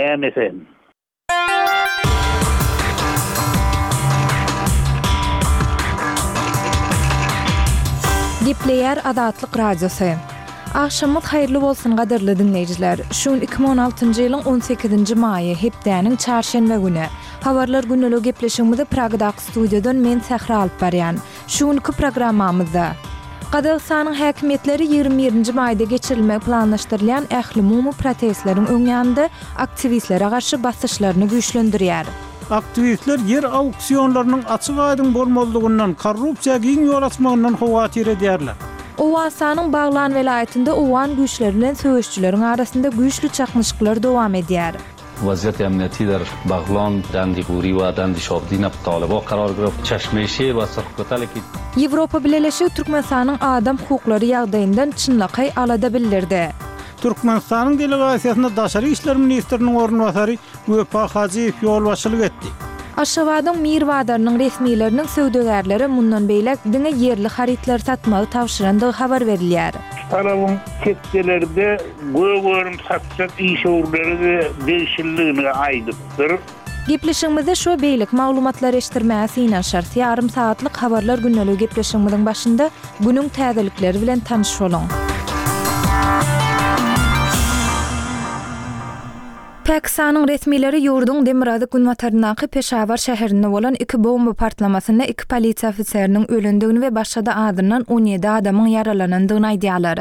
Näme sen? Gepleýär Azatlyk Radiosy. Agşamyňyz haýyrly bolsun gadyrly diňleýjiler. Şu gün 2016-njy ýylyň 18-nji maýy, hepdäniň çarşenbe güni. Habarlar gündelik gepleşigimizi Pragadaky studiýadan men Sähra alyp barýan. Şu günki programmamyzda. Gazagystanyň häkimiýetleri 21-nji maýda geçirilmegi planlaşdyrylýan ählumumy protestleriň öň ýanynda aktiwistlere garşy basyşlaryny güýçlendirýär. Aktiwistler ýer auksionlarynyň açyk-aýdyň bolmazlygyndan, korrupsiýa giň ýol açmagyndan howatyr edýärler. Owganystanyň Baglan welaýatynda owgan güýçleri bilen söweşijileriň arasynda güýçli çaknyşyklar dowam edýär. Waziýat emniýeti der Baglan, Dandi Guri we Dandi Şobdina Talyba karar girip, Çeşme Şir we Surhkotal ki. Ýewropa Bileleşigi Türkmenistanyň adam hukuklary ýagdaýyndan çynlakaý alada bildirdi. Türkmenistanyň delegasiýasyna daşary işler ministriniň orunbasary Wepa Hajyýew ýolbaşçylyk etdi. Aşgabadyň Mir bazarynyň resmileriniň söwdagärlere mundan beýläk diňe ýerli harytlary satmagy tabşyrandygy habar berilýär. Şu talabyň tekjelerde gök önüm satjak işewürlere-de degişlidigini aýdypdyr. Gepleşigimizde şu we beýleki maglumatlary eşitdirmäge synanyşarys. Ýarym sagatlyk Habarlar gündeligi gepleşigimiziň başynda günüň täzelikleri bilen tanyş boluň. Pakistanyň resmileri ýurduň demirgazyk-günbataryndaky Peşawar şäherinde bolan iki bomba partlamasynda iki polisiýa ofiseriniň ölendigini we başga-da azyndan 17 adamyň ýaralanandygyny aýdýarlar.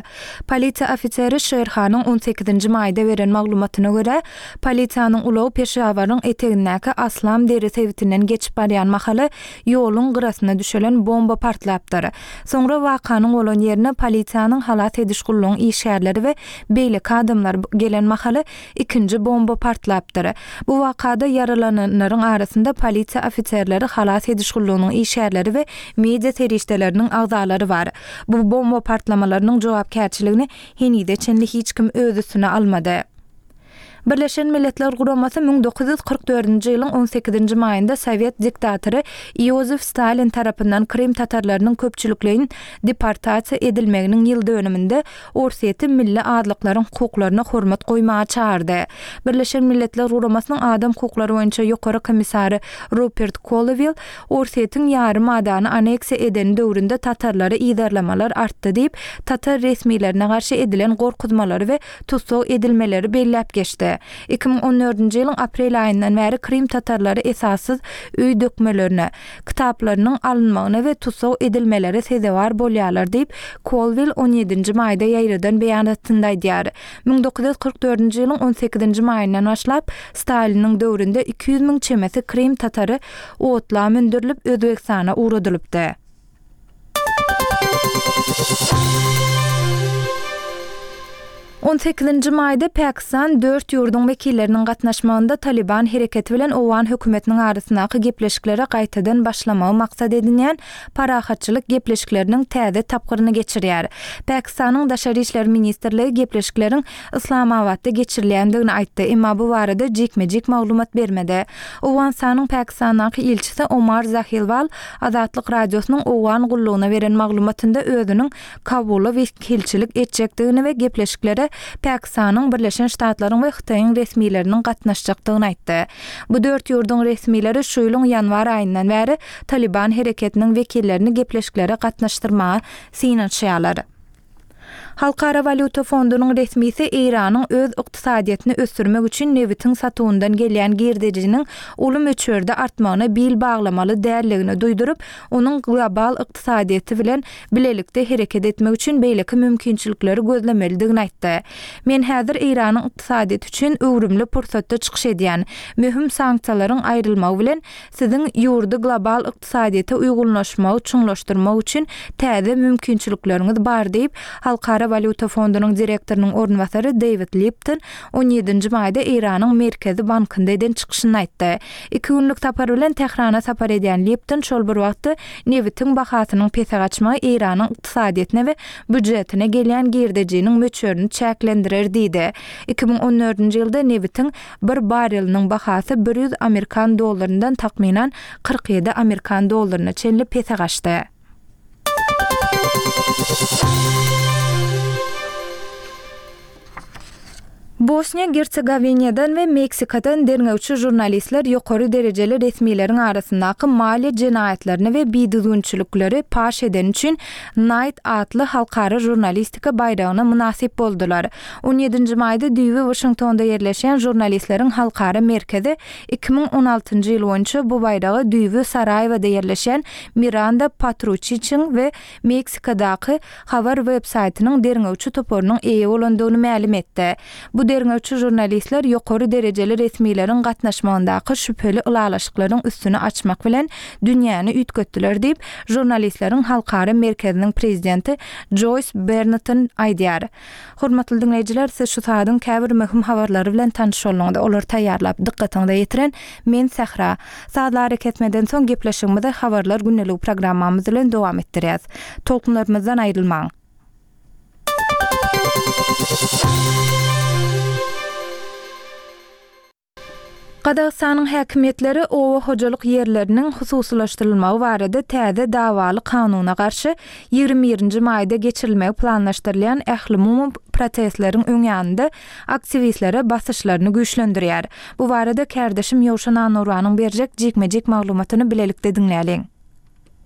Polisiýa ofiseri Şer Hanyň on sekizinji maýda beren maglumatyna görä, polisiýanyň ulagy Peşawaryň etegindäki Aslam dere sebitinden geçip barýan mahaly ýoluň gyrasyna düşelen bomba partlapdyr. Soňra wakanyň bolan ýerine polisiýanyň halas ediş gullugyň işgärleri we beýleki adamlar gelen mahaly ikinji bomba partlapdyr. Bu wakada ýaralananlaryň arasynda polisiýa ofiserleri, halas ediş gullugynyň işgärleri we media serişdeleriniň agzalary bar. Bu bomba partlamalarynyň jogapkärçiligini henize çenli hiç kim öz üstüne almady. Birleşen Milletler Guramasy 1944-nji ýylyň on sekizinji maýynda sowet diktatory Iozif Stalin tarapyndan krym tatarlarynyň köpçülikleýin deportasiýa edilmeginiň ýyl dönüminde Orsýeti milli azlyklaryň hukuklaryna hormat goýmaga çagyrdy. Birleşen Milletler Guramasynyň adam hukuklary boýunça ýokary komissary Rupert Kolewil Orsýetiň ýarym adany aneksiýa edeni döwründe tatarlary yzarlamalar artdy diýip, tatar resmilerine garşy edilen gorkuzmalary we tussag edilmeleri belläp geçdi. 2014-nji ýylyň aprel aýyndan bäri krym tatarlary esassyz öý dökmelerine, kitaplarynyň alynmagyna we tussag edilmelere sezewar bolýarlar diýip, Kolwill on ýedinji maýda ýaýradan beýanatynda aýdýar. 1944-nji ýylyň on sekizinji maýyndan başlap, Staliniň döwründe 200 müň çemesi krym tatary otla mündürilip, Özbegistana ugradylypdy. On sekizinji maýda Pakistan dört ýurduň wekilleriniň gatnaşmagynda Talyban hereketi bilen owgan hökümetiniň arasyndaky gepleşiklere gaýtadan başlamagy maksat edinýän parahatçylyk gepleşikleriniň täze tapgyryny geçirýär. Pakistanyň Daşary işler ministrligi gepleşikleriň Yslamabatda geçirilýändigini aýtdy, emma bu barada jikme-jik maglumat bermedi. Owganystanyň Pakistandaky ilçisi Omar Zahilwal Azatlyk Radiosynyň Owgan gullugyna beren maglumatynda özüniň Kabula wekilçilik etjekdigini we gepleşiklere Pakistanyň, Birleşen Ştatlaryň we Hytaýyň resmileriniň gatnaşjakdygyny aýtdy. Bu dört ýurduň resmileri şu ýylyň ýanwar aýyndan bäri Talyban hereketiniň wekillerini gepleşiklere gatnaşdyrmaga synanyşýarlar. Halkara walýuta fondunyň resmisi Eýranyň öz ykdysadyýetini ösdürmek üçin nebitiň satuwyndan gelýän girdejiniň uly möçberde artmagyna bil baglamaly däldigini duýduryp, onuň global ykdysadyýeti bilen bilelikde hereket etmek üçin beýleki mümkinçilikleri gözlemelidigini aýtdy. Men häzir Eýranyň ykdysadyýeti üçin öwrümli pursatda çykyş edýän. Möhüm sanksiýalaryň aýrylmagy bilen, Siziň ýurdy global ykdysadyýete uýgunlaşmagy çuňlaşdyrmak üçin täze mümkinçilikleriňiz bar diýip, Halkara walýuta fondunyň direktorynyň orunbasary Deýwid Lipton on ýedinji maýda Eýranyň Merkezi bankynda eden çykyşynda aýtdy. Iki günlük sapar bilen Tährana sapar edýän Lipton şol bir wagtda nebitiň bahasynyň pese gaçmagy Eýranyň ykdysadyýetine we býujetine gelýän girdejiniň möçberini çäklendirer diýdi. 2014-nji ýylda nebitiň Bir barreliniň bahasy 100 amerikan dollaryndan takmynan 47 amerikan dollaryna çenli pese gaçdy. Bosniýa-Gersegowiniýadan we Meksikadan derňewçi žurnalistler ýokary derejeli resmileriň arasyndaky maliýe jenaýatlaryny we bidüzgünçilikleri paş edeni üçin Knight atly halkara žurnalistika baýragyna mynasyp boldular. On ýedinji maýda düýbi Waşingtonda ýerleşýän Žurnalistleriň halkara merkezi 2016-njy ýyl boýunça bu baýraga düýbi Saraýewada ýerleşýän Miranda Patruçiçiň we Meksikadaky habar web-saýtynyň derňewçi toparynyň eýe bolandygyny mälim etdi. Bu derňewçi žurnalistler ýokary derejeli resmileriň gatnaşmagyndaky şübheli ylalaşyklaryň üstüni açmak bilen dünýäni üýtgetdiler diýip, Žurnalistleriň halkara merkeziniň prezidenti Joýs Bernton aýdýar. Hormatly diňleýjiler, siz şu saadyň käbir möhüm habarlary bilen tanyş bolduňyz. Olary taýýarlap, dykgatyňyza ýetiren men Sähra. Sazly arakesmeden soň gepleşigimizi Habarlar gündeligi programmamyz bilen dowam etdirýäs. Tolkunlarymyzdan aýrylmaň! Gazagystanyň häkimiýetleri oba hojalyk ýerleriniň hususylaşdyrylmagy barada täze dawaly kanuna garşy 21 nji maýda geçirilmegi planlaşdyrylýan ählumumy protestleriň öň ýanynda aktiwistlere basyşlaryny güýçlendirýär. Bu barada kärdeşim Ýowşan Annurbanyň berjek jikme-jik maglumatyny bilelikde diňläliň.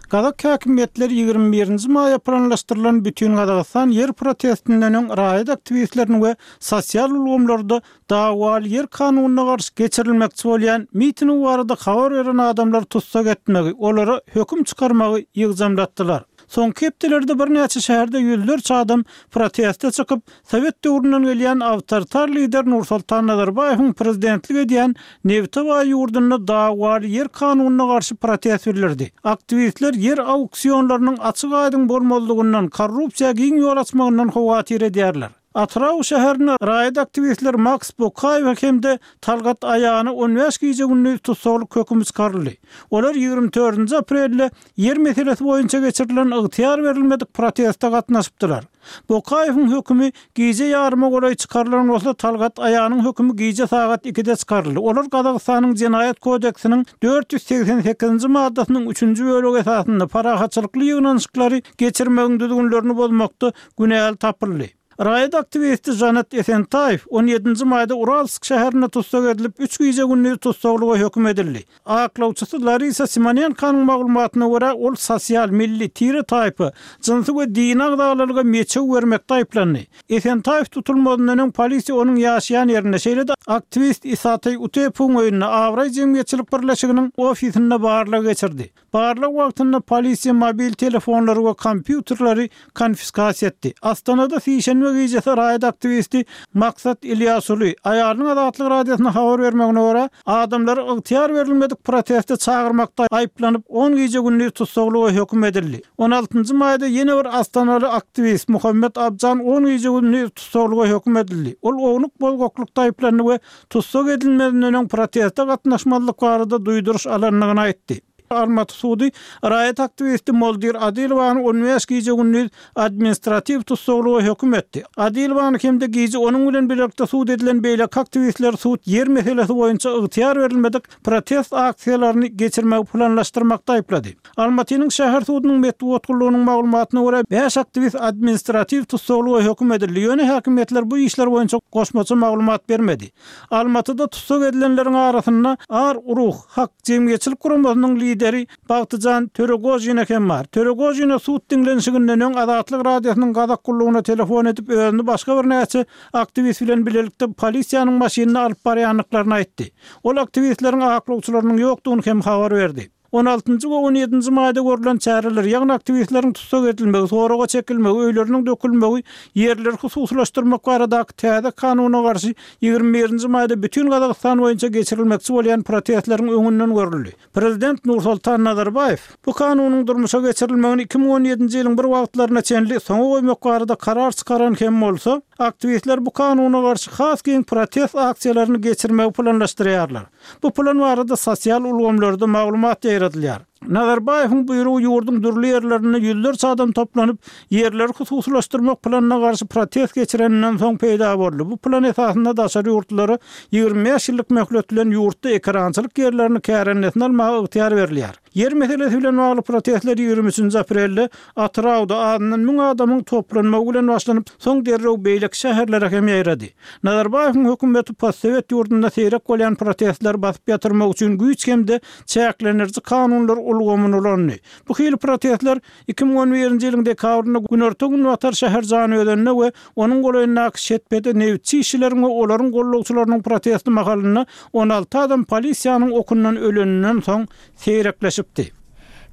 Gazak häkimiýetleri 21 nji maýa planlaşdyrylan Bütingazagystan ýer protestinden öň raýat aktiwistlerini we sosial ulgamlarda dawaly ýer kanunyna garşy geçirilmekçi bolýan miting barada habar beren adamlary tussag etmegi, olara höküm çykarmagy ýygjamlatdylar. Soňky hepdelerde birnäçe şäherde ýüzlerçe adam proteste çykyp, sowet döwründen gelýän awtoritar lider Nursultan Nazarbaýewiň prezidentlik edýän nebite baý ýurdunda dawaly ýer kanunyna garşy protest bildirdi. Aktiwistler ýer auksionlarynyň açyk-aýdyň bolmazlygyndan, korrupsiýa giň ýol açmagyndan howatyr edýärler. Atyrau şäherinde raýat aktiwistler Maks Bokaýewe hem-de Talgat Aýana 15 gije-gündiz tussaglyk hökümi çykaryldy. Olar 24-nji aprelde ýer meselesi boýunça geçirilen ygtyýar berilmedik proteste gatnaşypdylar. Bokaýewiň hökümi gije ýaryma golaý çykarylan bolsa, Talgat Aýanyň hökümi gije sagat ikide çykaryldy. Olar Gazagystanyň Jenaýat kodeksiniň 488-nji maddasynyň üçünji bölegi esasynda parahatçylykly ýygnanyşyklary geçirmegiň düzgünlerini bozmakda günäli tapyldy. Raýat aktiwisti Žanet Esentaýew on ýedinji maýda Uralsk şäherinde tussag edilip, üç gije-gündiz tussaglyga höküm edildi. Aklawçysy Larisa Simonenkonyň maglumatyna görä, ol sosial, milli, tire-taýpa, jynsy we dini agzalalyga meçew bermekde aýyplandy. Esentaýew tutulmazyndan öň polisiýa onuň ýaşaýan ýerinde, şeýle-de aktiwist Isataý Utepowyň öýünde, Abraý jemgyýetçilik birleşiginiň ofisinde barlag geçirdi. Barlag wagtynda polisiýa mobil telefonlary we kompýuterleri konfiskasiýa etdi. Astanada sişenbe gijesi raýat aktiwisti Maksat Ilýasuly, aýalynyň Azatlyk Radiosyna habar bermegine görä, adamlary ygtyýar berilmedik proteste çagyrmakda aýyplanyp, on gije-gündiz tussaglyga höküm edildi. On altynjy maýda ýene bir astanaly aktiwist Muhammet Abjan on gije-gündiz tussaglyga höküm edildi. Ol ownuk bozgaklykda aýyplandy we tussag edilmezinden öň proteste gatnaşmazlyk barada duýduryş alandygyny aýtdy. Almaty sudy raýat aktiwisti Moldir Adilowany on bäş gije-gündiz administratiw tussaglyga höküm etdi. Adilowany hem-de gije onuň bilen bilelikde sud edilen beýleki aktiwistleri sud ýer meselesi boýunça ygtyýar berilmedik protest aksiýalaryny geçirmegi planlaşdyrmakda aýyplady. Almatynyň şäher sudunyň metbugat gullugynyň maglumatyna görä, bäş aktiwist administratiw tussaglyga höküm edildi, ýöne häkimiýetler bu işler boýunça goşmaça maglumat bermedi. Almatyda tussag edilenleriň arasynda Ar Uruh, Hak, jemgyýetçilik guramasynyň lideri Bagtyjan Töregožina hem bar. Töregožina sud diňlenişiginden öň Azatlyk Radiosynyň gazak gullugyna telefon edip, özüni başga birnäçe aktiwist bilen bilelikde polisiýanyň maşynynda alyp barýandyklaryny aýtdy. Ol aktiwistleriň aklawçylarynyň ýokdugyny hem habar berdi. On altynjy we on ýedinji maýda görlen çäreler, ýagny aktiwistleriň tussag edilmegi, soraga çekilmegi, öýleriniň dökülmegi ýerleri hususylaşdyrmak baradaky täze kanuna garşy 21 nji maýda bütin Gazagystan boýunça geçirilmekçi bolýan protestleriň öňünden görüldi. Prezident Nursoltan Nazarbaýew bu kanunyň durmuşa geçirilmegini 2017-nji ýylyň bir wagtlaryna çenli soňa goýmak barada karar çykaran hem bolsa, aktiwistler bu kanuna garşy has giň protest aksiýalaryny geçirmegi planlaşdyrýarlar. Bu plan barada sosial ulgamlarda maglumat ýaýradylýar. Nazarbaýewiň buýrugy ýurduň dürli ýerlerinde ýüzlerçe adam toplanyp, ýerleri hususylaşdyrmak planyna garşy protest geçireninden soň peýda boldy. Bu plan esasynda daşary ýurtlulara 25 ýyllyk möhlet bilen ýurtda ekerançylyk ýerlerini kärendesine almaga ygtyýar berilýär. Ýer meselesi bilen bagly protestler 23-nji aprelde Atyrawda azyndan müň adamyň toplanmagy bilen başlanyp, soň derrew beýleki şäherlere hem ýaýrady. Nazarbaýewiň hökümeti postsowet ýurdunda seýrek bolýan protestleri basyp ýatyrmak üçin güýç hem-de çäklendiriji kanunlar ulgamyny ulandy. Bu hili protestler 2011-nji ýylyň dekabrynda günorta-günbatar şäher Janyözende we onuň golaýyndaky Şetpede nebitçi işçileriň we olaryň gollagçylarynyň protesti mahalynda 16 adam polisiýanyň okundan öleninden soň seýrekleşipdi.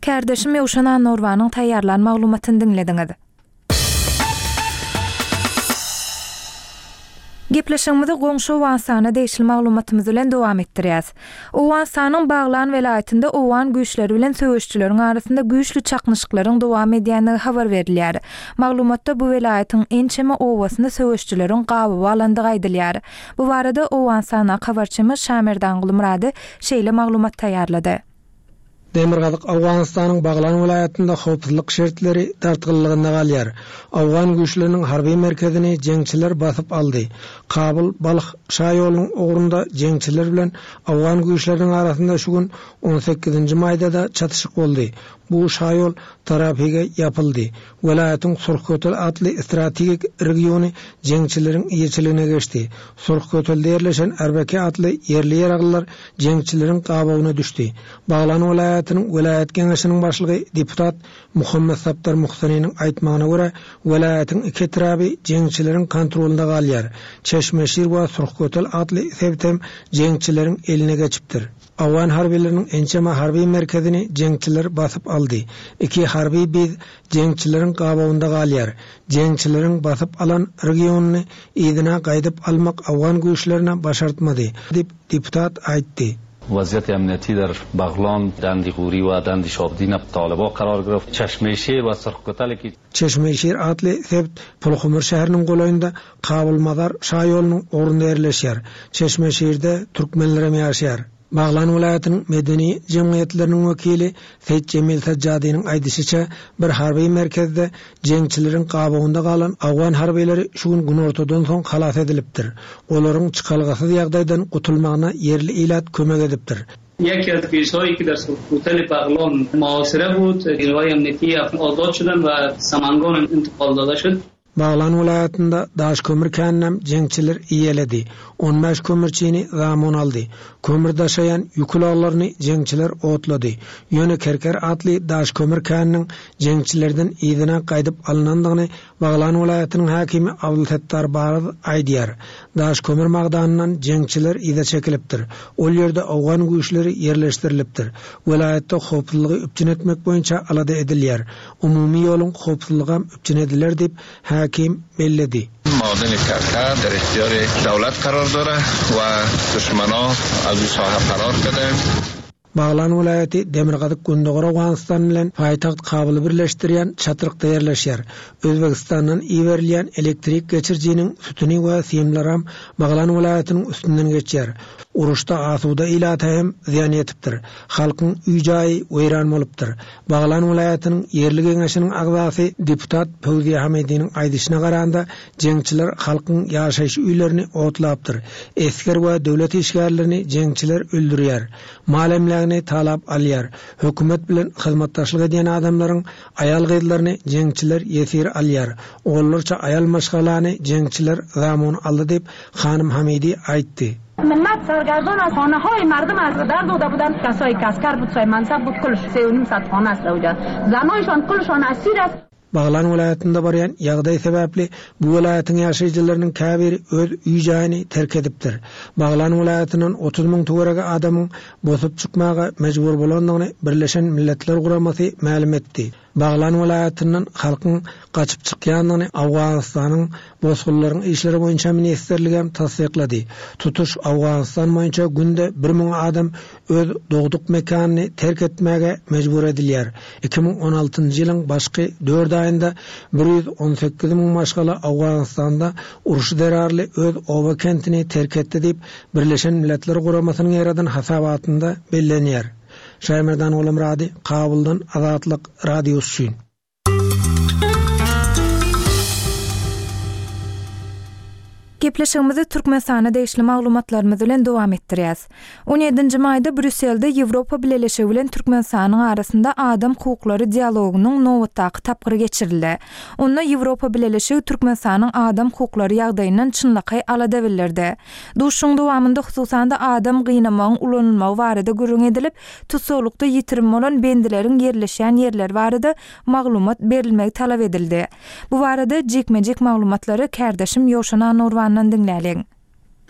Kärdeşim Ýowşan Annagurbanyň taýýarlan maglumatyny diňlediňiz. Gepleşigimizi goňşy Owganystana degişli maglumatymyz bilen dowam etdirýäs. Owganystanyň Baglan welaýatynda owgan güýçleri bilen söweşijileriň arasynda güýçli çaknyşyklaryň dowam edýändigi habar berilýär. Maglumatda bu welaýatyň ençeme obasyny söweşijileriň gabawa alandygy aýdylýar. Bu barada Owganystandaky habarçymyz Şamerdan Gulmyrady şeýle maglumat taýýarlady. Demirgazyk Owganystanyň Baglan welaýatynda howpsuzlyk şertleri dartgynlygynda galýar. Owgan güýçleriniň harby merkezini jeňçiler basyp aldy. Kabul, Balh şaýolunyň ugrunda jeňçiler bilen owgan güýçleriniň arasynda şu gün, on sekizinji maýda-da çatyşyk boldy. Bu şaýol tarafige ýapyldy. Welaýatyň Surhkötel atly strategik regiony jeňçileriň eýeçiligine geçdi. Surhkötelde ýerleşen Erbeke atly ýerli ýaraglylar jeňçileriň gabawyna düşdi. Baglan welaýatynyň welaýat geňeşiniň başlygy deputat Muhammet Sapdar Muhsaniniň aýtmagyna görä, welaýatyň iki etraby jeňçileriň kontrolynda galýar. Çeşmeşir we Surhkötel atly sebitem jeňçileriň eline geçipdir. Owgan harbylarynyň ençeme harby merkezini jeňçiler basyp aldy. Iki harby biz jeňçileriň gabawynda galýar. Jeňçileriň basyp alan regionyny yzyna gaýdyp almak owgan güýçlerine başartmady, diýip, deputat aýtdy. وضعیت امنیتی در بغلان، دند غوری و دند شابدین طالبا قرار گرفت. چشمه شیر و سرخ کوتل کی. Çeşme Şir atly sebit Pulhumur şäheriniň golaýynda Kabul-Mazar şaýolunyň ugrunda ýerleşýär. Çeşme Şirde türkmenlerem ýaşaýar. Baglan welaýatynyň medeni jemgyýetleriniň wekili Seýit Jemil Sajjadynyň aýdyşyça, bir harby merkezde jeňçileriň gabawynda galan owgan harbylary şu gün günortadan soň halas edilipdir. Olaryň çykalgasyz ýagdaýdan gutulmagyna ýerli ilat kömek edipdir. یکی از بیشهایی که در سرخ بغلان محاصره بود نیروهای امنیتی آزاد شدند و سمنگان انتقال داده شد Baglan welaýatynda daş kömür käninem jeňçiler eýeledi. On bäş kömürçini zamun aldy. Kömür daşaýan ýük ulaglaryny jeňçiler otlady. Ýöne Kerker atly daş kömür käniniň jeňçilerden yzyna gaýdyp alnandygyny Baglan welaýatynyň häkimi Abdulsettar Baryz aýdýar. Daş kömür magdanyndan jeňçiler yza çekilipdir. Ol ýerde owgan güýçleri ýerleşdirilipdir. Welaýatda howpsuzlygy üpjün etmek boýunça alada edilýär. Umumy ýoluň howpsuzlygam üpjün ediler diýip, häkim belledi. معادن کرکر در اختیار دولت قرار داره و دشمنا از او ساحه فرار کردند. Baglan welaýaty demirgazyk-gündogar Owganystan bilen paýtagt Kabuly birleşdirýän çatrykda ýerleşýär. Özbegistandan iberilýän elektrik geçirijiniň sütüni we simleram Baglan welaýatynyň üstünden geçýär. Uruşda asuda ilata hem zyýan ýetipdir. Halkyň öý-jaýy weýran bolupdyr. Baglan welaýatynyň ýerli geňeşiniň agzasy deputat Pöwziýa Hamidiniň aýdyşyna garanda, jeňçiler halkyň ýaşaýyş öýlerini otlapdyr. Esger we döwlet işgärlerini jeňçiler öldürýär. Mal-emlägini talap alýar. Hökümet bilen hyzmatdaşlyk edýän adamlaryň aýal-gyzlaryny jeňçiler ýesir alýar. Onlarça aýal maşgalany jeňçiler zamun aldy diýip, hanym Hamidi aýtdy. ملت سرگردان از خانه های مردم از در داده بودند کسایی که عسکر بود صاحب منصب بود کلش سه و نیم صد خانه است اوجا زنایشان کلشان اسیر است. Baglan welaýatynda barýan ýagdaý sebäpli bu welaýatyň ýaşaýjylarynyň käbiri öz öý-jaýyny terk edipdir. Baglan welaýatyndan 30 müň töweregi adamyň bosup çykmaga mejbur bolandygyny Birleşen Milletler Guramasy mälim etdi. Baglan welaýatyndan halkyň gaçyp çykýandygyny Owganystanyň Bosgunlaryň işleri boýunça ministrligem tassyklady. Tutuş Owganystan boýunça günde bir müň adam öz dogduk mekanyny terk etmäge mejbur edilýär. 2016-njy ýylyň başky dört aýynda 118 müň maşgala Owganystanda uruş zerarly öz oba-kentini terk etdi diýip, Birleşen Milletler Guramasynyň ýaradan hasabatynda bellenýär. Şaýmerdan Gulamyrady, Kabuldan, Azatlyk Radiosy üçin. Gepleşigimizi Türkmenistana degişli maglumatlarymyz bilen dowam etdirýäs. On ýedinji maýda Brýusselde Ýewropa Bileleşigi bilen Türkmenistanyň arasynda adam hukuklary dialogynyň nobatdaky tapgyry geçirildi. Onda Ýewropa Bileleşigi Türkmenistanyň adam hukuklary ýagdaýyndan çynlakaý alada bildirdi. Duşuşygyň dowamynda hususan-da adam gynamagyň ulanylmagy barada gürrüň edilip, tussaglykda ýitirim bolan bendileriň ýerleşýän ýerleri barada maglumat berilmegi talap edildi. Bu barada jikme-jik maglumatlary kärdeşim Ýowşan Annagurbandan diňläliň.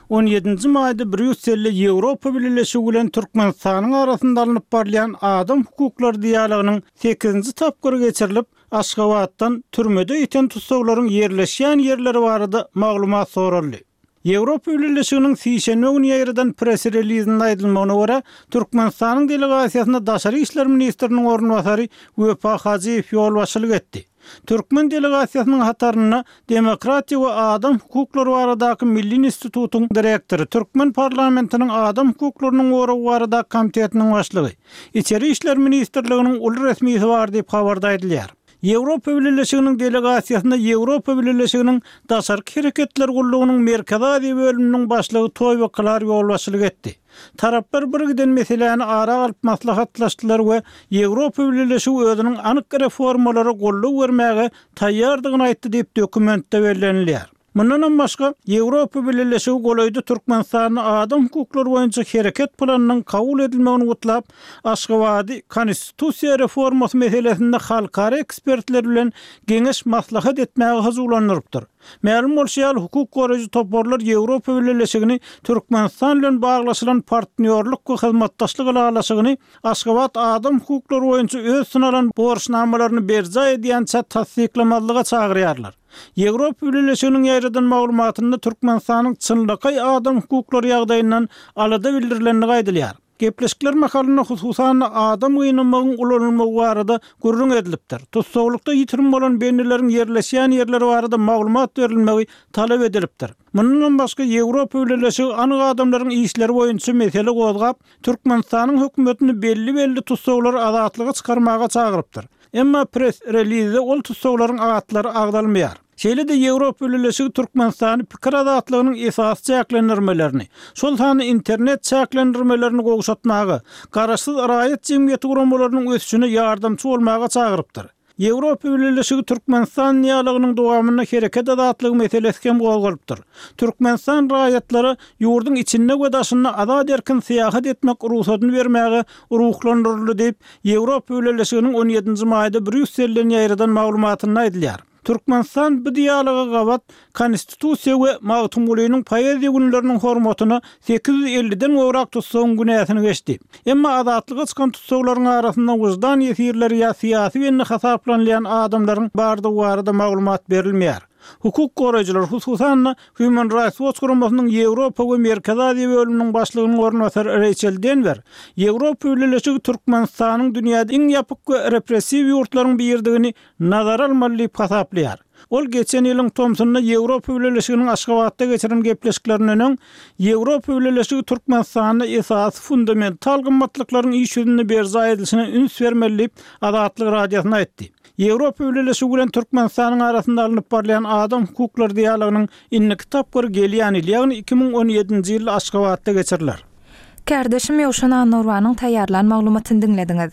On ýedinji maýda Brýusselde Ýewropa Bileleşigi bilen Türkmenistanyň arasynda alnyp barylýan adam hukuklary dialogynyň sekizinji tapgyry geçirilip, Aşgabatdan türmede ýiten tussaglaryň ýerleşýän ýerleri barada maglumat soraldy. Ýewropa Bileleşiginiň sişenbe güni ýaýradan press-relizinde aýdylmagyna görä, Türkmenistanyň delegasiýasyna daşary işler ministriniň orunbasary Wepa Hajyýew ýolbaşçylyk etdi. Türkmen delegasiýasynyň hatarynda Demokratiýa we adam hukuklary baradaky milli institutyň direktory, türkmen parlamentiniň adam hukuklarynyň goragy baradaky komitetiniň başlygy, Içeri işler ministrliginiň uly resmisi bar diýip, habarda aýdylýar. Ýewropa Bileleşiginiň delegasiýasyna Ýewropa Bileleşiginiň Daşarky hereketler gullugynyň Merkezi Aziýa bölüminiň başlygy Toýwo Klar ýolbaşçylyk etdi. Taraplar birgiden meseläni ara alyp maslahatlaşdylar we Ýewropa Bileleşigi özüniň anyk reformalara goldaw bermäge taýýardygyny aýtdy diýip, dokumentde bellenilýär. Mundanam başga, Ýewropa Bileleşigi golaýda Türkmenistanda adam hukuklary boýunça hereket planynyň kabul edilmegini gutlap, Aşgabady konstitusiýa reformasy meselesinde halkara ekspertler bilen geňeş-maslahat etmäge hyjuwlandyrypdyr. Mälim bolşy ýaly, hukuk goraýjy toparlar Ýewropa Bileleşigini Türkmenistan bilen baglaşylan partnýorlyk we hyzmatdaşlyk ylalaşygyny Aşgabat adam hukuklary boýunça öz üstüne alan borçnamalaryny berjaý edýänçä tassyklamazlyga çagyrýarlar. Ýewropa Bileleşiginiň ýaýradan maglumatynda Türkmenistanyň çynlakaý adam hukuklary ýagdaýyndan alada bildirilendigi aýdylýar. Gepleşikler mahalynda hususan-da adam gynamagyň ulanylmagy barada gürrüň edilipdir. Tussaglykda ýitirim bolan bendileriň ýerleşýän ýerleri barada maglumat berilmegi talap edilipdir. Mundanam başga Ýewropa Bileleşigi anyk adamlaryň işleri boýunça mesele gozgap, Türkmenistanyň hökümetini belli-belli tussaglary azatlyga çykarmaga çagyrypdyr. Emma press-relizde ol tussaglaryň atlary agzalmaýar. Şeýle-de Ýewropa Bileleşigi Türkmenistany pikir azatlygynyň esasy çäklendirmelerini, şol sanda internet çäklendirmelerini gowşatmaga, garaşsyz raýat jemgyýeti guramalarynyň ösüşine ýardamçy bolmaga çagyrypdyr. Ýewropa Bileleşigi Türkmenistan dialogynyň dowamynda hereket azatlygy meselesi hem gozgalypdyr. Türkmenistan raýatlara ýurduň içinde we daşynda azat-erkin syýahat etmek rugsadyny bermäge ruhlandyryldy diýip, Ýewropa Bileleşiginiň on ýedinji maýda Brýusselden ýaýradan maglumatynda aýdylýar. Türkmenistan bu dialoga gabat Konstitusiýa we Magtymgulynyň poeziýa günleriniň hormatyna 850-den gowrak tussagyň günäsini geçdi. Emma azatlyga çykan tussaglaryň arasynda wyždan ýesirleri ýa syýasy bendi hasaplanylýan adamlaryň bardygy barada maglumat berilmeýär. Hukuk goraýjylar, hususan-da, Human Rights Watch guramasynyň Ýewropa we Merkezi Aziýa bölüminiň başlygynyň orunbasary Reýçel Denwer, Ýewropa Bileleşigi Türkmenistanyň dünýäde iň ýapyk we repressiw ýurtlaryň biridigini nazara almaly diýip hasaplaýar. Ol geçen ýylyň tomsunda Ýewropa Bileleşiginiň Aşgabatda geçiren gepleşiklerinden öň, Ýewropa Bileleşigi Türkmenistanda esasy fundamental gymmatlyklaryň iş ýüzünde berjaý edilişine üns bermeli diýip, Azatlyk Radiosyna aýtdy. Ýewropa Bileleşigi bilen Türkmenistanyň arasynda alnyp barylýan adam hukuklary dialogynyň indiki tapgyry gelýän ýyl, ýagny 2017-nji ýylda Aşgabatda geçiriler. Kärdeşim Ýowşan Annagurbanyň taýýarlan maglumatyny diňlediňiz.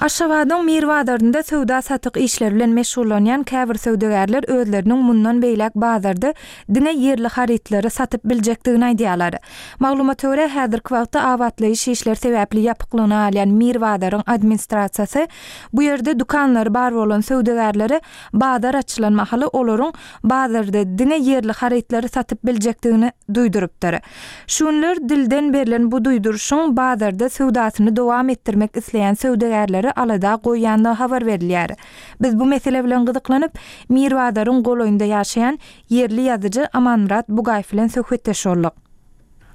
Aşgabadyň Mir bazarynda söwda-satyk işleri bilen meşgullanýan käbir söwdagärler özleriniň mundan beýläk bazarda diňe ýerli harytlary satyp biljekdigini aýdýarlar. Maglumata görä, häzirki wagtda abatlaýyş işleri sebäpli ýapyklygyna galýan Mir bazaryň administrasiýasy bu ýerde dükanlary bar bolan söwdagärlere bazar açylan mahaly olaryň bazarda diňe ýerli harytlary satyp biljekdigini duýdurypdyr. Şu günler dilden berlen bu duýduryşyň bazarda söwdasyny dowam etdirmek isleýän söwdagärleri alada goýýandygy habar berilýär. Biz bu mesele bilen gyzyklanyp, Mir bazaryň golaýynda ýaşaýan ýerli ýazyjy Amanmyrat Bugaýew bilen söhbetdeş bolduk.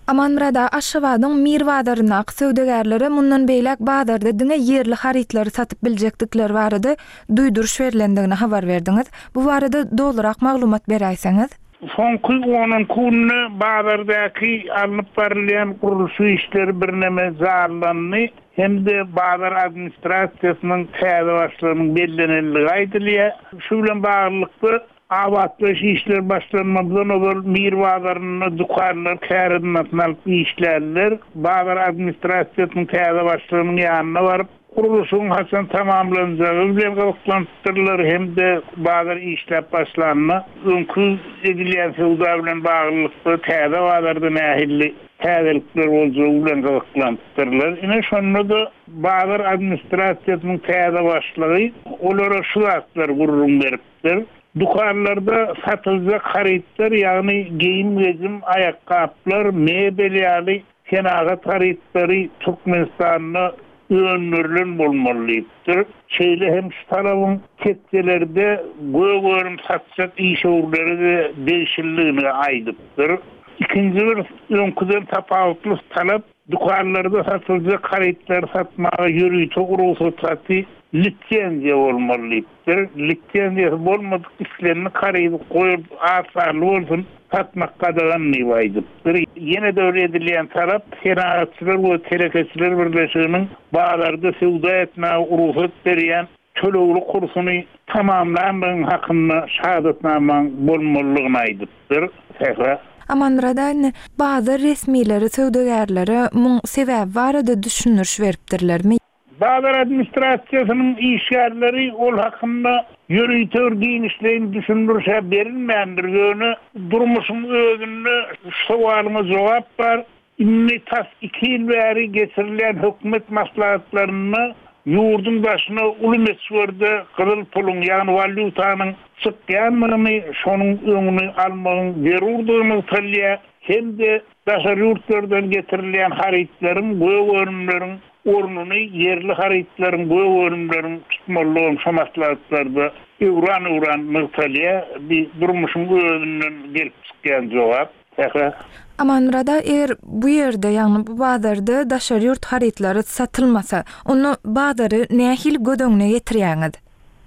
Amanmyrat aga, Aşgabadyň Mir bazaryndaky söwdagärlere mundan beýläk bazarda diňe ýerli harytlary satyp biljekdikleri barada duýduryş berlendigini habar berdiňiz. Bu barada dolurak maglumat beräýseňiz? Soňky on-onki günde bazardaky alnyp barylýan gurluşyk işleri birneme janlandy hem-de bazar administrasiýasynyň täze başlygynyň bellenendigi aýdylýar. Şu bilen baglylykda, abatlaýyş işleri başlanmazdan ozal Mir bazarynda dükanlar kärendasyna alyp işlärler. Bazar administrasiýasynyň täze başlygynyň ýanyna baryp, Gurluşygyň haçan tamamlanjagy bilen gyzyklanypdyrlar hem-de bazar işläp başlanda, öňki edilýän söwda bilen baglylykda täze bazarda nähili täzelikler boljagy bilen gyzyklanypdyrlar. Ine, şonda-da bazar administrasiýasynyň täze başlygy olara şu zatlary gürrüň beripdir, Dükanlarda satyljak harytlar, ýagny geýim-gejim, aýakgaplar, mebel ýaly Senagat harytlary Türkmenistanda öndürilen bolmaly diýipdir. Şeýle hem şu talabyň tekjelerde gök önüm satjak işewürlere-de degişlidigini aýdypdyr. Ikinji bir öňküden tapawutly talap, dükanlarda satyljak harytlary satmaga ýörite rugsat haty, lisenziýa bolmaly diýipdir. Bir lisenziýasy bolmadyk islendik harydy goýup az sanly bolsun satmak gadagan diýip aýdypdyr. Ýene-de bir edilýän talap Senagatçylar we telekeçiler birleşiginiň bazarda söwda etmäge rugsat berýän tölegli kursuny tamamlandygyň hakynda şahadatnamaň bolmalydygyny aýdypdyr. Sähra. Amanmyrat indi bazar resmileri söwdagärlere muň sebäbi barada düşündiriş beripdirlermi? Bazar administrasiýasynyň işgärleri ol hakynda ýörite bir giňişleýin düşündiriş-ä berilmändir, ýöne durmuşyň özünde şu sowalyňa jogap bar, indi tas iki ýyl bäri geçirilýän hökümet maslahatlarynda ýurduň daşyna uly möçberde gyzyl puluň, ýagny walýutanyň çykýandygyny, şonuň öňüni almagyň zerurdygy nygtalýar hem-de daşary ýurtlardan getirilýän harytlaryň, gök önümleriň ornuny ýerli harytlaryň, gök önümleriň tutmalydygy şo maslahatlarda öwran-öwran nygtalýar. Bi durmuşyň özünden gelip çykýan jogap. Sähra. Amanmyrat aga, eger bu ýerde, ýagny bu bazarda daşary ýurt harytlary satylmasa, onda bazary nähili göz öňüne getirýäňiz?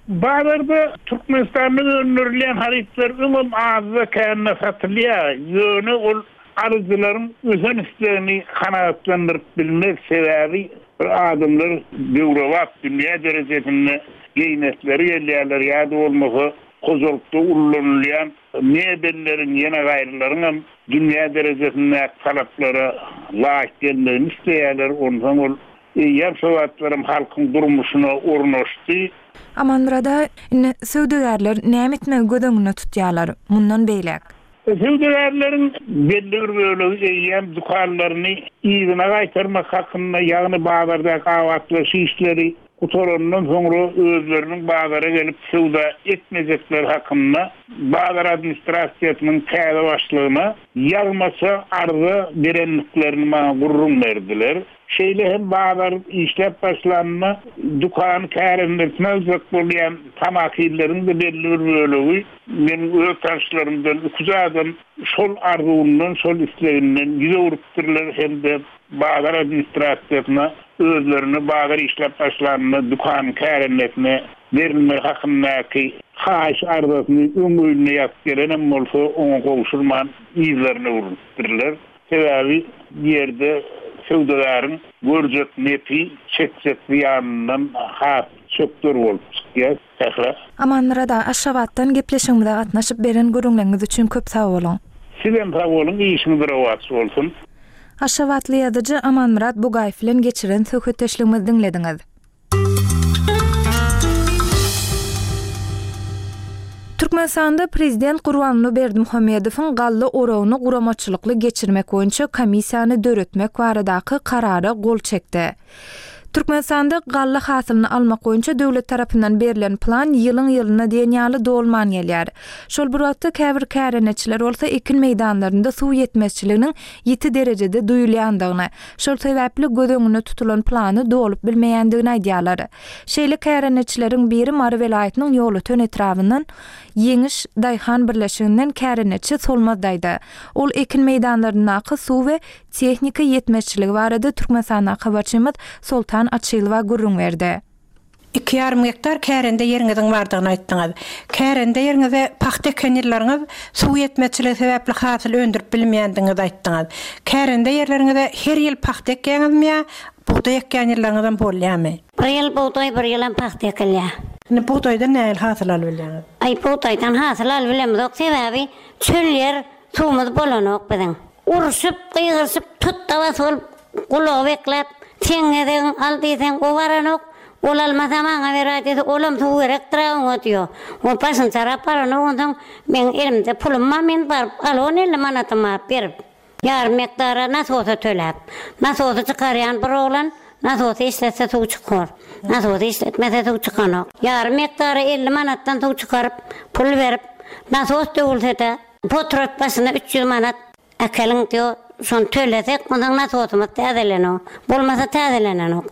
Bazarda Türkmenistanda öndürilýän harytlar öňem azda-kände satylýar, ýöne ol alyjylaryň ösen islegini kanagatlandyryp bilmez, sebäbi bir adamlar döwrebap dünýä derejesinde geýnesleri gelýärler ýa-da bolmasa hojalykda ullanylýan mebelleriň ýene gaýrylaryňam dünýä derejesindäki talaplara laýyk gelmegini isleýärler, onsoň ol Eýýäm şo zatlaram halkyň durmuşyna ornaşdy. Amanmyrat aga, indi söwdagärler näme etmegi göz öňünde tutýarlar mundan beýläk? Söwdagärleriň belli bir bölegi eýýäm dükanlaryny yzyna gaýtarmak hakynda, ýagny bazardaky abatlaýyş işleri gutarandan soňra özleriniň bazara gelip söwda etmejekleri hakynda bazar administrasiýasynyň täze başlygyna ýazmaça arza berendiklerini maňa gürrüň berdiler. Şeýle hem bazar işläp başlanda dükany kärendesine aljak bolýan tamakinleriň-de belli bir bölegi, meniň öz tanyşlarymdan iküç adam şol arzuwyndan, şol isleginden ýüz öwrüpdirler hem-de bazar administrasiýasyna özlerine bazar işläp başlanda dükanyň kärendesine berilmegi hakyndaky haýyş arzasyny öň öýünde ýazyp gelenem bolsa, oňa gowşurman yzlaryna öwrülipdirler. Sebäbi bu ýerde söwdagäriň görjek nepi çekjek zyýanyndan has çökder bolup çykýar. Sähra. Amanmyrat aga Aşgabatdan gepleşigimize gatnaşyp beren gürrüňleriňiz üçin köp sag boluň. Sizem sag boluň işiňiz rowaç bolsun. Aşgabatly ýazyjy Amanmyrat Bugaýew bilen geçiren söhbetdeşligimizi diňlediňiz. Türkmenistanda prezident Gurbanguly Berdimuhamedowyň galla oragyny guramaçylykly geçirmek boýunça komissiýany döretmek baradaky Karara gol çekdi. Türkmenistanda galla hasylyny almak boýunça döwlet tarapyndan berlen plan ýylyň-ýylyna diýen ýaly dolman gelýär. Şol bir wagtda käbir kärendeçiler bolsa ekin meýdanlarynda suw ýetmezçiliginiň ýiti derejede duýulýandygyny, Şol sebäpli göz öňünde tutulan plany dolup bilmeýändigini aýdýarlar. Şeýle kärendeçileriň biri Mary welaýatynyň Ýolöten etrabyndan Ýeňiş daýhan birleşiginden kärendeçi Solmaz daýza. Ol ekin meýdanlaryndaky suw we tehnika ýetmezçiligi barada Türkmenistandaky habarçymyz Soltan Açylowa gürrüň berdi. Iki ýarym gektar kärende ýeriňiziň bardygyny aýtdyňyz. Kärende ýeriňize pagta eken ýyllaryňyz suw ýetmezçiligi sebäpli hasyl öndürip bilmeýändigiňizi aýtdyňyz. Kärende ýerleriňize her ýyl pagta ekýäňizmi ýa bugdaý ekýän ýyllaryňyzam bolýarmy? Bir ýyl bugdaý, bir ýylam pagta ekilýär. Indi bugdaýdan nähili hasyl alyp bilýäňiz? Aý, bugdaýdan hasyl alyp bilemizok, sebäbi çöl ýer, suwumyz bolanok biziň. Urşup, gygyryşyp, tut-da-bas bolup, gulagy bekläp, seň gezegiň al diýseň, o baranok, ol almasa maňa beräý diýse, olam suw gerekdir-ä oňa diýo. O başyny çarap baranok, onsoň meň elimde pulum bar, men baryp al on 50 manatymy alyp berip. Ýarym gektara nasosa töläp. Nasosy çykarýan bir oglan, nasosy işletse suw çykar. Nasosy işletmese suw çykanok. Ýarym gektara 50 manatdan suw çykaryp, pul berip, nasos döwülse-de, potrat başyna 300 manat äkeliň diýo, şony tölesek, onsoň nasosymyz täzelenok. Bolmasa täzelenenok.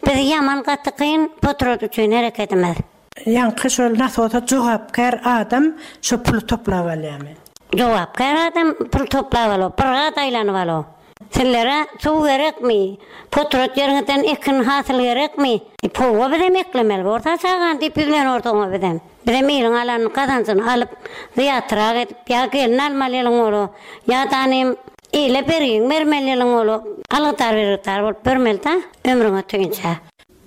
Biz ýaman gaty kyn potrat üçin hereketimiz. Ýaňky şol nasosa jogapkär adam şo puly toplap alýamy? Jogapkär adam pul toplap alo, bir gat aýlanyp alo. Sizlere suw gerekmi? Potrat ýeriňizden ekin hasyl gerekmi? Powa bizem eklemeli borsa çagany diýip ýüzlenors oňa bizem. Bizem iliň alan gazanjyny alyp zyýatrak edip ýa gelin almaly ýylyň bolo, ýa-da anym ile bergiňi bermeli ýylyň bolo, algydar-bergidar bolup ýörmeli-dä ömrüň ötünçä.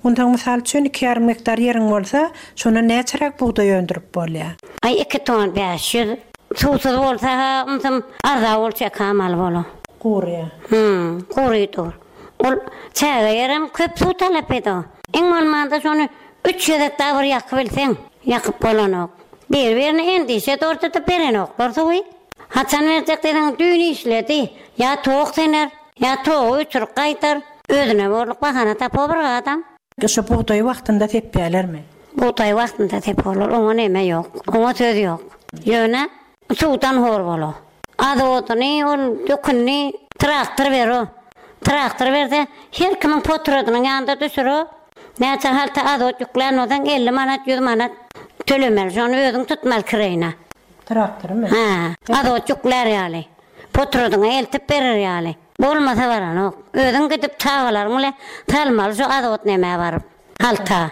Onsoň mysal üçin iki ýarym gektar ýeriň bolsa, şondan näçeräk bugdaý öndürip bolýar? Aý iki ton 500. Suwsuz bolsa-ha ymsym arza bol çekam al bola. Guryýar. Hum, gury dur. Ol çäge ýerem köp suw talap edo. Iň bolmanda şony üç gezek dagy bir ýakyp bilseň, ýakyp bolanok. Bir-birine endişe dordy-da berenoklar suwy. Haçan berjek diýseň düýn işledi. Ýa tok söner. Ýa togy öçürip gaýdar. Özüne borluk bahana tapar bir adam. Şu bugdaýy wagtynda sepýälermi? Bugdaýy wagtynda seporlar, oňa neme ýok, oňa söz ýok. Ýöne suwdan hor bolar. Azodyny, ol dökünini traktor bero. Traktor berse, her kimiň potradynyň ýanynda düşüro. Näçe halta azot ýüklän bolsaň, 50 manat, 100 manat tölemeli. Şony özüň tutmaly kireýine. Traktorymy? Hä, azot ýüklär ýaly. Potradyňa eltip berer ýaly. Bolmasa baranok. Özüň gidip çagalaryň bile salmaly şu azot nämä baryp. Halta.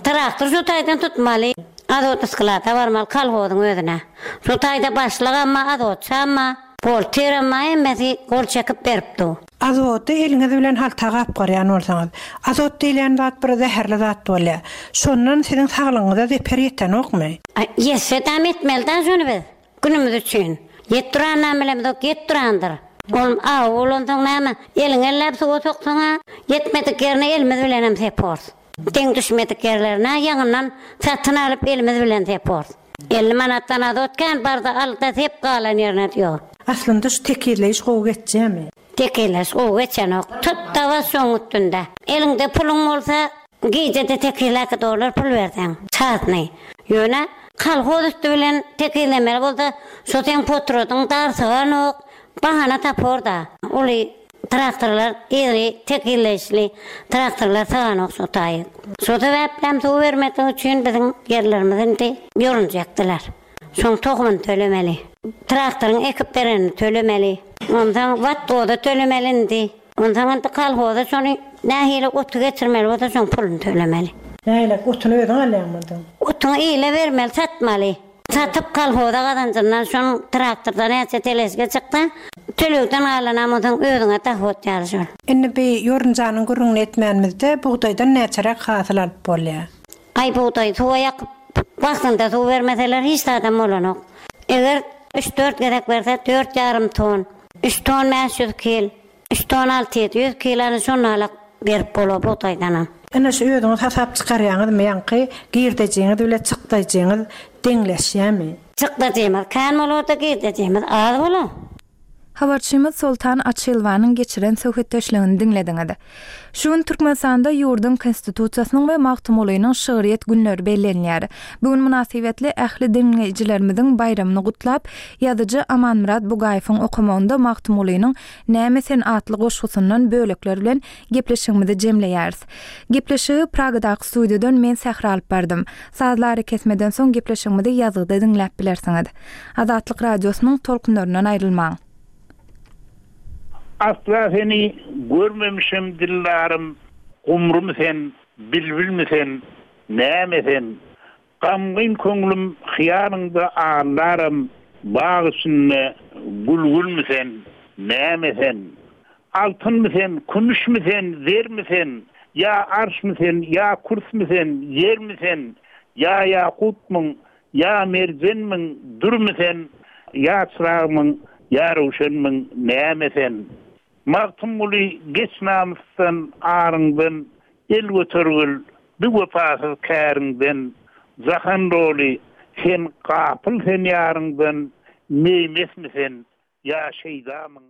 Traktor şu taýdan tutmaly. Azot sklada barmaly kolhozyň özüne. Şu taýda başlygam bar, azotçam bar, bolterem bar hemmesi gol çekip berip dur. Azody eliňiz bilen halta gapgarýan bolsaňyz. Azot diýilýän zat bir zäherli zat bolýar. Şondan siziň saglygyňyza zeper ýetenokmy? Aý, ýetse-däm etmeli-dä şony biz. Günümiz üçin. Ýet duranam bilemzok, ýet durandyr. Ol aw bolansoň näme, eliňi elläp suwa soksaň-a, ýetmedik ýerine elimiz bilenem sepors. Deň düşmedik ýerlerine ýaňyndan satyn alyp elimiz bilen sepors. 50 manatdan azot kän barda al-da sep galan ýerine diýo. Aslynda şu tekizleýiş gowy geçýämi? Tekizleýiş gowy geçenok. Tut-da bas şoň üstünde. Eliňde puluň bolsa, Gijede tekizläki dolar pul berseň, çasny. Ýöne kolhoz üsti bilen tekizlemeli bolsa, şo seň potradyň dar syganok, bahana tapor-da. Uly traktorlar iri tekizleýişli traktorlar syganok şo taýy. Şo sebäplem suw bermedigi üçin biziň ýerlerimizi indi ýorunja ekdiler. Şoň tohumyny tölemeli. Traktoryň ekip berenini tölemeli. Onsoň watgoza tölemeli indi. Onsoň indi kolhoza şony nähili oty geçirmeli bolsa şoň puluny tölemeli. Nähili, otuny özüň alýaňmy onsoň? Otuňy ile bermeli, satmaly. Satyp kolhoza gazanjyndan şoň traktorda näçe teležka çyksa, tölegden galanam onsoň özüňe dahot ýaly şol. Indi bi ýorunjanyň gürrüňini etmänimizde bugdaýdan näçeräk hasyl alyp bolýar? Aý bugdaýy suwa ýakyp wagtynda suw bermeseler hiç zadam bolanok. Eger üç-dört gezek berse dört ýarym ton, üç ton 500 kil, üç ton 600 kil ana şonalak berip bolar bugdaýdanam. Ine şu özüňiz hasap çykarýaňyzmy ýaňky girdejiňiz bile çykdaýjyňyz deňleşýämi? Çykdajymyz kän bolarda girdejimiz az bolar. Habarçymyz Soltan Açylowanyň geçiren söhbetdeşligini diňlediňiz. Şu gün Türkmenistanda ýurduň Konstitusiýasynyň we Magtymgulynyň şygryýet günleri bellenilýär. Bu gün mynasybetli ähli diňleýjilerimiziň baýramyny gutlap, ýazyjy Amanmyrat Bugaýewiň okamagynda Magtymgulynyň Näme sen atly goşgusyndan bölekler bilen gepleşigimizi jemleýäris. Gepleşigi Pragadaky studiýadan men Sähra alyp bardym. Sazly arakesmeden soň gepleşigimizi ýazgyda diňläp bilersiňiz. Azatlyk Radiosynyň tolkunlaryndan aýrylmaň. Asla seni görmemişem dildarym, Gumrumy sen, bilbilmi sen? näme sen? Gamgyn köňlüm hyýalyňda aldaram, Bag içinde gülgülmi sen, näme sen? Altynmy sen, kümüşmi sen, zermi sen, Ýa arşmy sen, ýa kürsmi sen, ýermi sen, Ýa ýakutmyň, ýa merjenmiň, dürmi sen, Ýa çyragmyň, ýa röwşenmiň, näme sen? Magtymguly geç namysdan, aryňdan, El götergil bi wepasyz käriňden, Jahan doly, sen gapyl sen ýaryňdan, Meý-mesmi sen, ýa şeýdamyň?